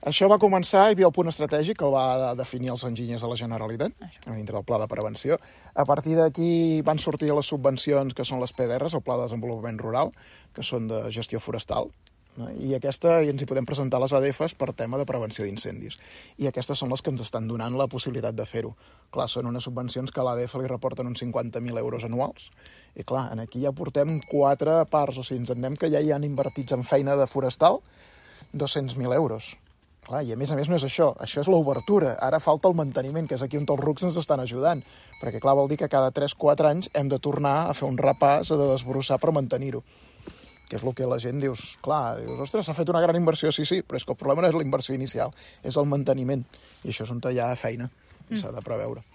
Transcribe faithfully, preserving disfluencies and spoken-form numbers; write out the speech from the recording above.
Això va començar, hi havia el punt estratègic que el va definir els enginyers de la Generalitat, a dintre del Pla de Prevenció. A partir d'aquí van sortir les subvencions, que són les P D Rs, el Pla de Desenvolupament Rural, que són de gestió forestal, no? I aquesta i ens hi podem presentar les A D Fs per tema de prevenció d'incendis. I aquestes són les que ens estan donant la possibilitat de fer-ho. Clar, són unes subvencions que a l'A D F li reporten uns cinquanta mil euros anuals. I clar, aquí ja portem quatre parts, o sigui, ens en anem que ja hi han invertits en feina de forestal dos-cents mil euros. Clar, i a més a més no és això, això és l'obertura. Ara falta el manteniment, que és aquí on els rucs ens estan ajudant. Perquè clar, vol dir que cada tres quatre anys hem de tornar a fer un repàs, a de desbrossar per mantenir-ho. Que és el que la gent dius, clar, dius, ostres, s'ha fet una gran inversió, sí, sí, però és que el problema no és la inversió inicial, és el manteniment. I això és on hi ha feina, i s'ha de preveure.